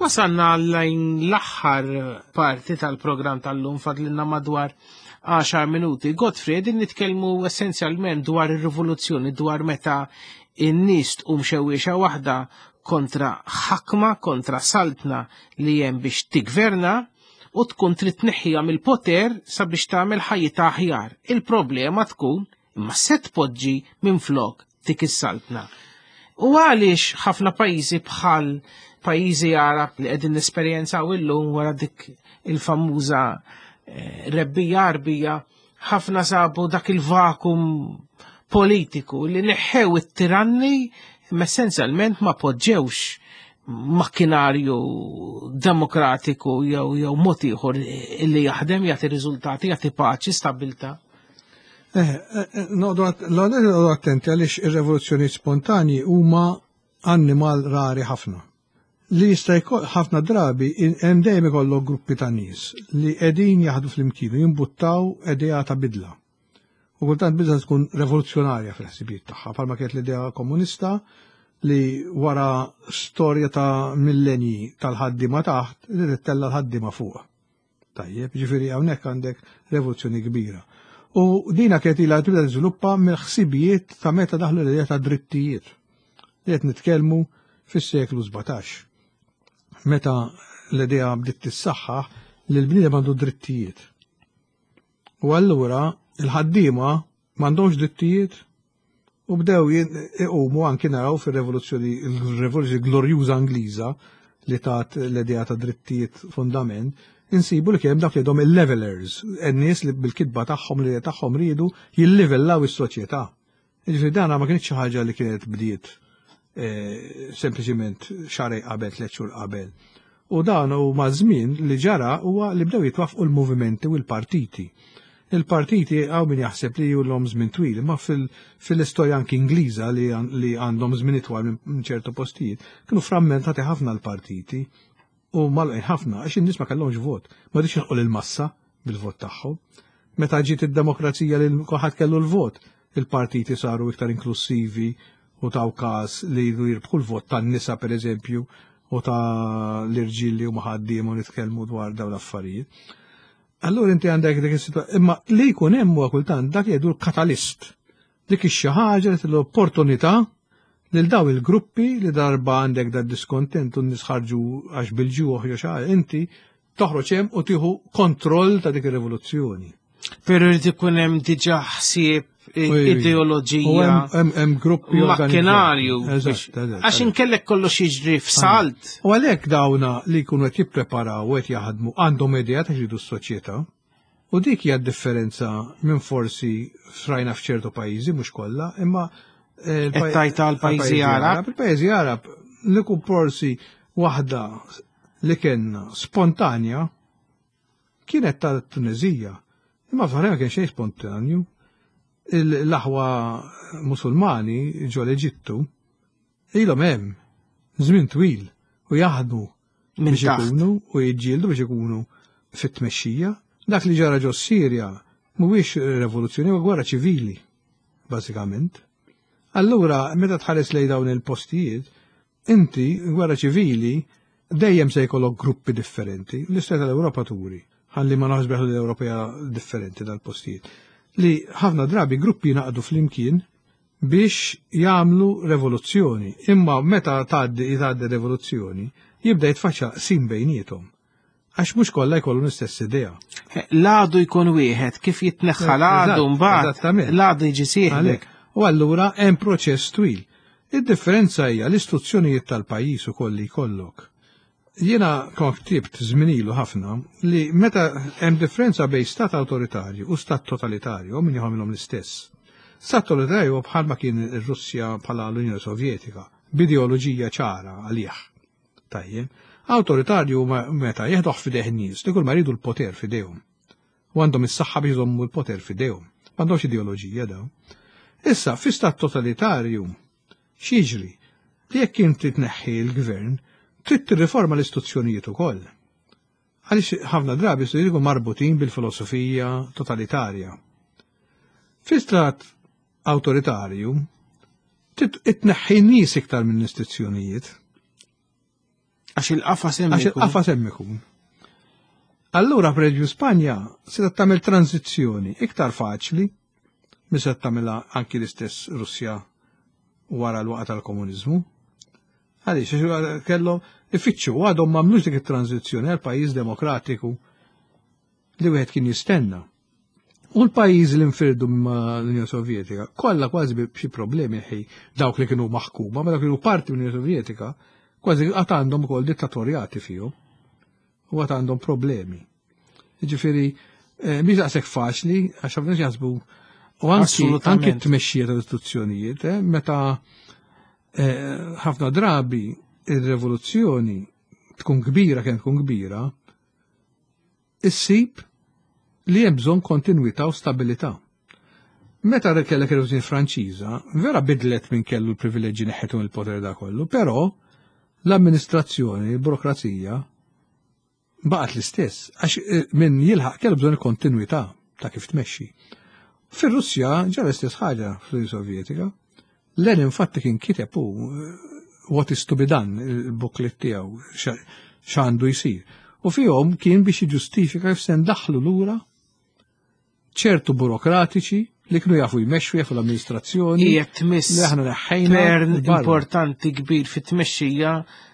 Wasalna lejn l-aħħar parti tal-programm tal-lum, fadlilna madwar għaxar minuti. Godfrey, qegħdin nitkellmu essenzjalment dwar ir-rivoluzzjoni, dwar meta n-nies tqum xewwiexa waħda kontra ħakma, kontra saltna li hemm biex tigverna u tkun trid tneħħiha mill-poter sabiex tagħmel ħajjitha aħjar. Il-problema tkun imma se tpoġġi minflok dik is-saltna. U għaliex ħafna pajjiżi bħal pajjiżi Għarab li qegħdin nesperjenzaw illum wara dik il-famuża eh, rebbija Għarbija, ħafna sabu dak il-vakum politiku li neħħew it-tiranni, imma essenzjalment ma poġġewx makkinarju demokratiku jew jew mod ieħor li jaħdem, jagħti riżultati, jagħti paċi, stabbiltà. Eh, eh, eh, noqogħdu attenti għaliex ir-revoluzzjoni spontani huma annimal rari ħafna. Li jista' jkoll ħafna drabi hemm dejjem ikollok gruppi ta' nies li qegħdin jaħdu flimkien u jimbuttaw idea ta' bidla. U kultant bidla tkun revoluzzjonarja fil-ħsibijiet tagħha, bħalma kienet l-idea komunista li wara storja ta' millenji tal-ħaddiema taħt, li tittella l-ħaddiema fuq. Tajjeb, ġifieri hawnhekk għandek revoluzzjoni kbira. U dina kienet ilha tibda tiżviluppa mill-ħsibijiet ta' meta daħlu l-idea ta' drittijiet. Li qed nitkellmu fis-seklu sbatax. Meta l-idea bdiet tissaħħaħ li l-bniedem għandu drittijiet. U allura il-ħaddiema m'għandhomx drittijiet u bdew iqumu anki naraw fir-revoluzzjoni, il-rivoluzzjoni glorjuża Ingliża li tat l-idea ta' drittijiet fundament, insibu li kien dak li għedhom il-levelers, n-nies li bil-kitba tagħhom li tagħhom riedu jillivellaw is-soċjetà. Jiġifieri dana ma kienx xi ħaġa li kienet bdiet eh, sempliċiment xarej qabel, tliet xhur qabel. U dan u maż-żmien li ġara huwa li bdew jitwaffqu l-movimenti u l-partiti. Il-partiti għaw min jaħseb li ilhom żmien twil, ma fil-istorja anki Ingliża li għandhom żmien itwal minn ċertu postijiet, kienu frammentati ħafna l-partiti u malqin ħafna għax in-nies ma kellhomx vot, ma rridx jilħqu lill-massa bil-vot tagħhom. Meta ġiet id-demokrazija li kulħadd kellu l-vot, il-partiti saru iktar inklusivi u taw każ li jirbħu l-vot tan-nisa pereżempju u ta' l-irġiel li huma ħaddiem u nitkellmu dwar dawn l-affarijiet. Allura inti għandek dik is-sitwazzjoni, imma li jkun hemm huwa kultant dak li jgħidu l-katalist. Dik ix-xi ħaġa li l-opportunità lil daw il-gruppi li darba għandek da diskontent u n-nies ħarġu għax bil-ġuħ jew xi ħaġa, inti toħroġ hemm u tieħu kontroll ta' dik ir-rivoluzzjoni. Però jrid ikun hemm diġà ħsieb, ideoloġija, hemm gruppi makkinarju. Għax inkellek kollox jiġri f'salt. U għalhekk dawna li jkunu qed jippreparaw u qed jaħdmu għandhom idea ta' x'iridu s-soċjetà. U dik hija d-differenza minn forsi frajna f'ċertu pajjiżi, mhux kollha, imma Qed tajta għall-pajjiżi Għarab. Il-pajjiżi Għarab li kun forsi waħda li kellna spontanja kienet tal-Tunezija. Imma f'ħarja ma kien xejn spontanju. L-aħwa Musulmani ġo l-Eġittu ilhom hemm żmien twil u jaħdmu Minn biex taħt. ikunu u jiġġieldu biex ikunu fit-tmexxija. Dak li ġara ġo Sirja mhuwiex revoluzzjoni, huwa gwerra ċivili, bażikament. Allura, meta tħares lejn dawn il-postijiet, inti gwerra ċivili dejjem se jkollok gruppi differenti. L-istorja tal-Ewropa turi, ħalli ma naħsbeħ li l-Ewropea differenti dal-postijiet, li ħafna drabi gruppi naqdu flimkien biex jagħmlu revoluzzjoni. Imma meta tgħaddi tgħaddi revoluzzjoni, jibda jitfaċċa sim bejniethom. Għax mhux kollha jkollhom l-istess idea. L-għadu jkun wieħed, kif jitneħħa l-għadu Eżatt, mbagħad, eżattament. l-għadu jiġi sieħbek. Għalhekk. U allura hemm proċess twil. Id-differenza hija l-istituzzjonijiet tal-pajjiż ukoll li jkollok. Jiena kont ktibt żmien ilu ħafna li meta hemm differenza bejn stat awtoritarju u stat totalitarju, min jagħmilhom l-istess. Stat totalitarju bħalma kien ir-Russja bħala l-Unjoni Sovjetika, b'ideoloġija ċara għalih. Tajjeb, awtoritarju meta jeħduh f'idejh in-nies li kull ma jridu l-poter f'idejhom. U għandhom is-saħħa biex jżommu l-poter f'idejhom. M'għandhomx ideoloġija dawn. Issa, fi stat totalitarju, x'jiġri? Li jekk inti tneħħi l-gvern, trid tirriforma l-istituzzjonijiet ukoll. Għaliex ħafna drabi se jridu marbutin bil-filosofija totalitarja. Fi stat awtoritarju, trid tneħħi n-nies iktar minn istituzzjonijiet. Għax il-qafas hemm Għax il-qafas hemm ikun. Allura pereżempju Spanja se tagħmel tranzizzjoni iktar faċli minn se tagħmilha anki l-istess Russja wara l-waqgħa tal-komuniżmu. Għaliex kellhom ifittxu għadhom m'għamlux dik it-tranzizzjoni għal pajjiż demokratiku li wieħed kien jistenna. U l-pajjiżi li nfirdu ma' l-Unjoni Sovjetika kollha kważi b'xi problemi ħi dawk li kienu maħkuma, ma dawk li kienu parti mill-Unjoni Sovjetika, kważi għad għandhom ukoll dittatorjati fihom u għad għandhom problemi. Jiġifieri mhix daqshekk faċli għax ħafna nies jaħsbu u anki anki t-tmexxija tal-istituzzjonijiet, meta ħafna drabi ir-rivoluzzjoni tkun kbira kemm tkun kbira, issib li hemm bżonn kontinwità u stabilità. Meta kellek ir-Rivoluzzjoni Franċiża, vera bidlet minn kellu l-privileġġi neħħetu mill-poter da kollu, però l-amministrazzjoni, l-burokrazija baqgħet l-istess, għax min jilħaq kellu bżonn kontinwità ta' kif tmexxi. Fir-Russja ġara l-istess ħaġa fl-Unjoni Sovjetika. Lenin infatti kien kiteb hu What is to be done, il-booklet tiegħu x'għandu jsir. U fihom kien biex jiġġustifika kif se ndaħħlu lura ċertu burokratiċi li kienu jafu jmexxu, jafu l-amministrazzjoni. Hija tmiss li aħna neħħejna tern barra. importanti kbir fit-tmexxija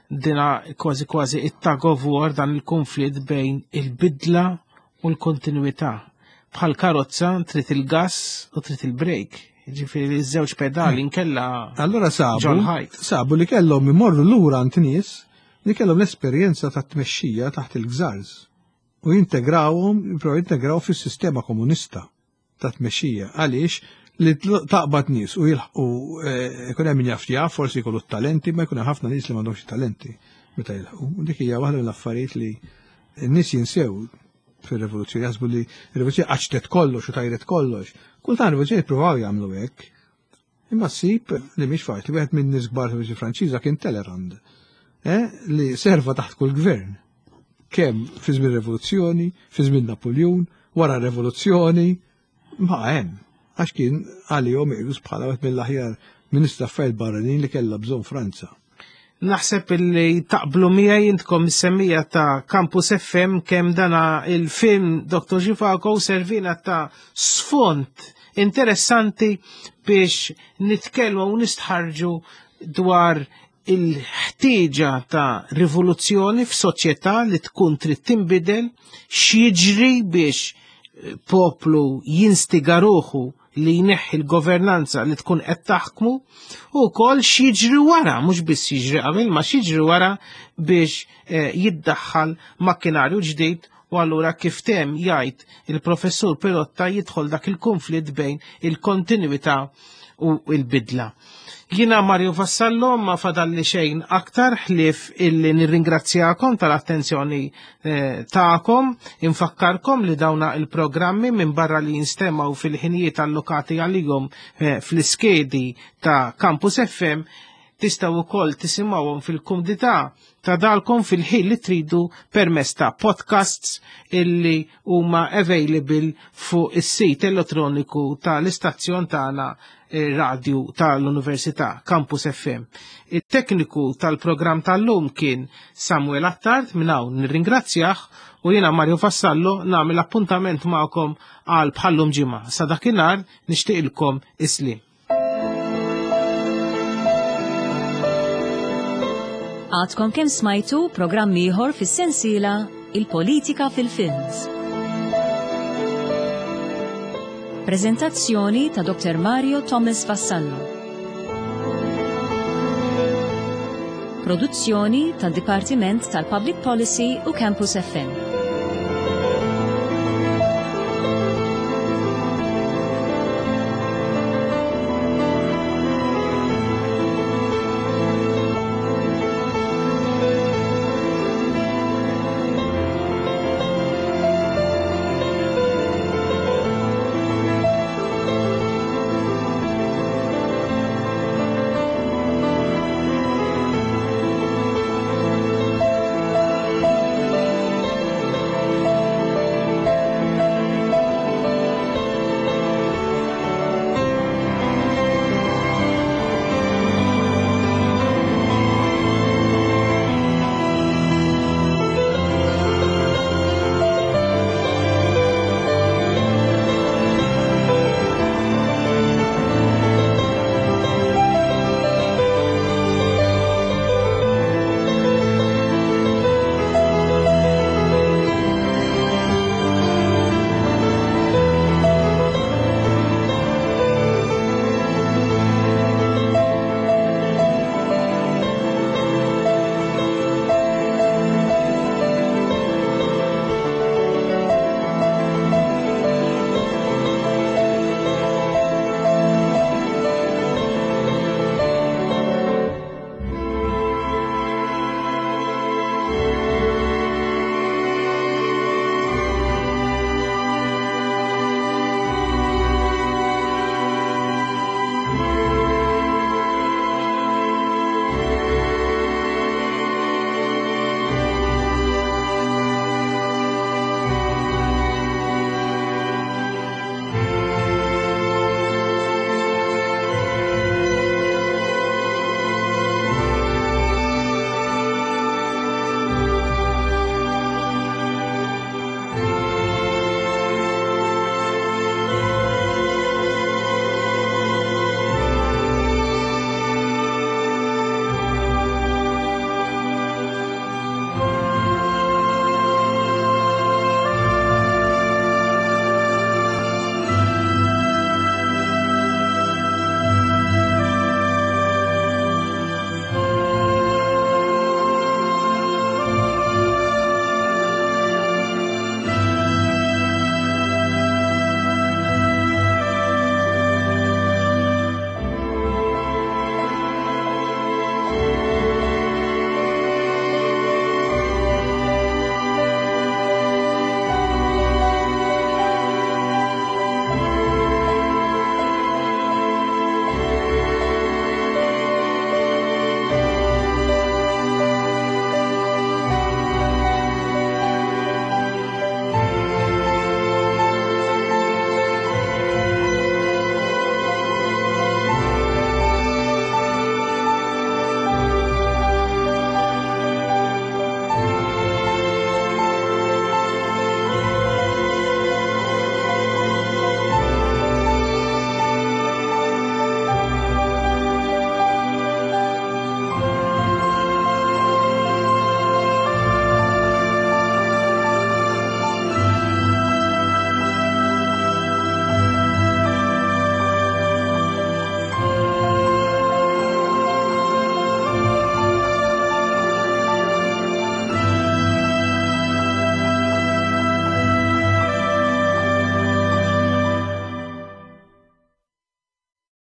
dina kważi kważi it-tug of war dan il-konflitt bejn il-bidla u l-kontinuità. Bħal karozza trid il-gas u trid il-brejk. Ġifieri iż-żewġ pedali nkella Allora sabu, ġol ħajt. sabu li kellhom imorru lura għand nies li kellhom l-esperjenza ta' tmexxija taħt il-gżarż u jintegrawhom, jippruvaw jintegraw fis-sistema komunista ta' tmexxija. Għaliex li taqbad nies u jilħqu ikun hemm min jaf jaf, forsi jkollu t-talenti, ma jkun hemm ħafna nies li m'għandhomx talenti meta jilħqu. U dik hija waħda mill-affarijiet li n-nies jinsew fir-rivoluzzjoni, jaħsbu li r-rivoluzzjoni qaċtet kollox u tajret kollox. Kultant rivoluzzjoni jippruvaw jagħmlu hekk. Imma ssib li mhix faċli, wieħed minn nies kbar fil-Rivoluzzjoni Franċiża kien Talleyrand, eh, li serva taħt kull gvern. Kemm fi żmien rivoluzzjoni, fi żmien Napoleon, wara r-rivoluzzjoni, ma hemm. Għax kien għalihom iqjus bħala wieħed mill-aħjar Ministru Affarijiet Barranin li kellha bżonn Franza. Naħseb illi taqblu miegħi intkom is-semmija ta' Campus F M kemm dana il-film Doktor Zhivago servina ta' sfond interessanti biex nitkellmu u nistħarġu dwar il-ħtieġa ta' rivoluzzjoni f'soċjetà li tkun trid tinbidel, x'jiġri biex poplu jinstiga ruħu li jneħħi l-governanza li tkun qed taħkmu, u wkoll x'jiġri wara, mhux biss jiġri qabel, ma x'jiġri wara biex, eh, jiddaħħal makkinarju ġdid. U allura kif tem jgħid il-professur Pirotta jidħol dak il-konflitt bejn il-kontinuità u l-bidla. Jiena Mario Vassallo ma fadalli xejn aktar ħlief illi nirringrazzjakom tal-attenzjoni, eh, tagħkom, infakkarkom li dawna il-programmi minn barra li jinstemaw fil-ħinijiet allokati għalihom, eh, fl-iskedi ta' Campus F M, tistgħu wkoll tisimgħuhom fil-kumdità ta' dalkom fil-ħin li tridu permezz ta' podcasts illi huma available fuq is-sit elettroniku tal-istazzjon tagħna radio tal-Università Campus F M. Il-tekniku tal-programm tal-lum kien Samuel Attard, minn hawn nirringrazzjah, u jiena Mario Vassallo nagħmel appuntament magħkom għal bħallum ġimgħa. Sa dakinhar nixtieqilkom islim. Għadkom kemm smajtu programm ieħor fis-sensiela Il-Politika fil-Films. Prezentazzjoni ta' Doktor Mario Thomas Vassallo. Produzzjoni tad Dipartiment tal-Public Policy u Campus F M.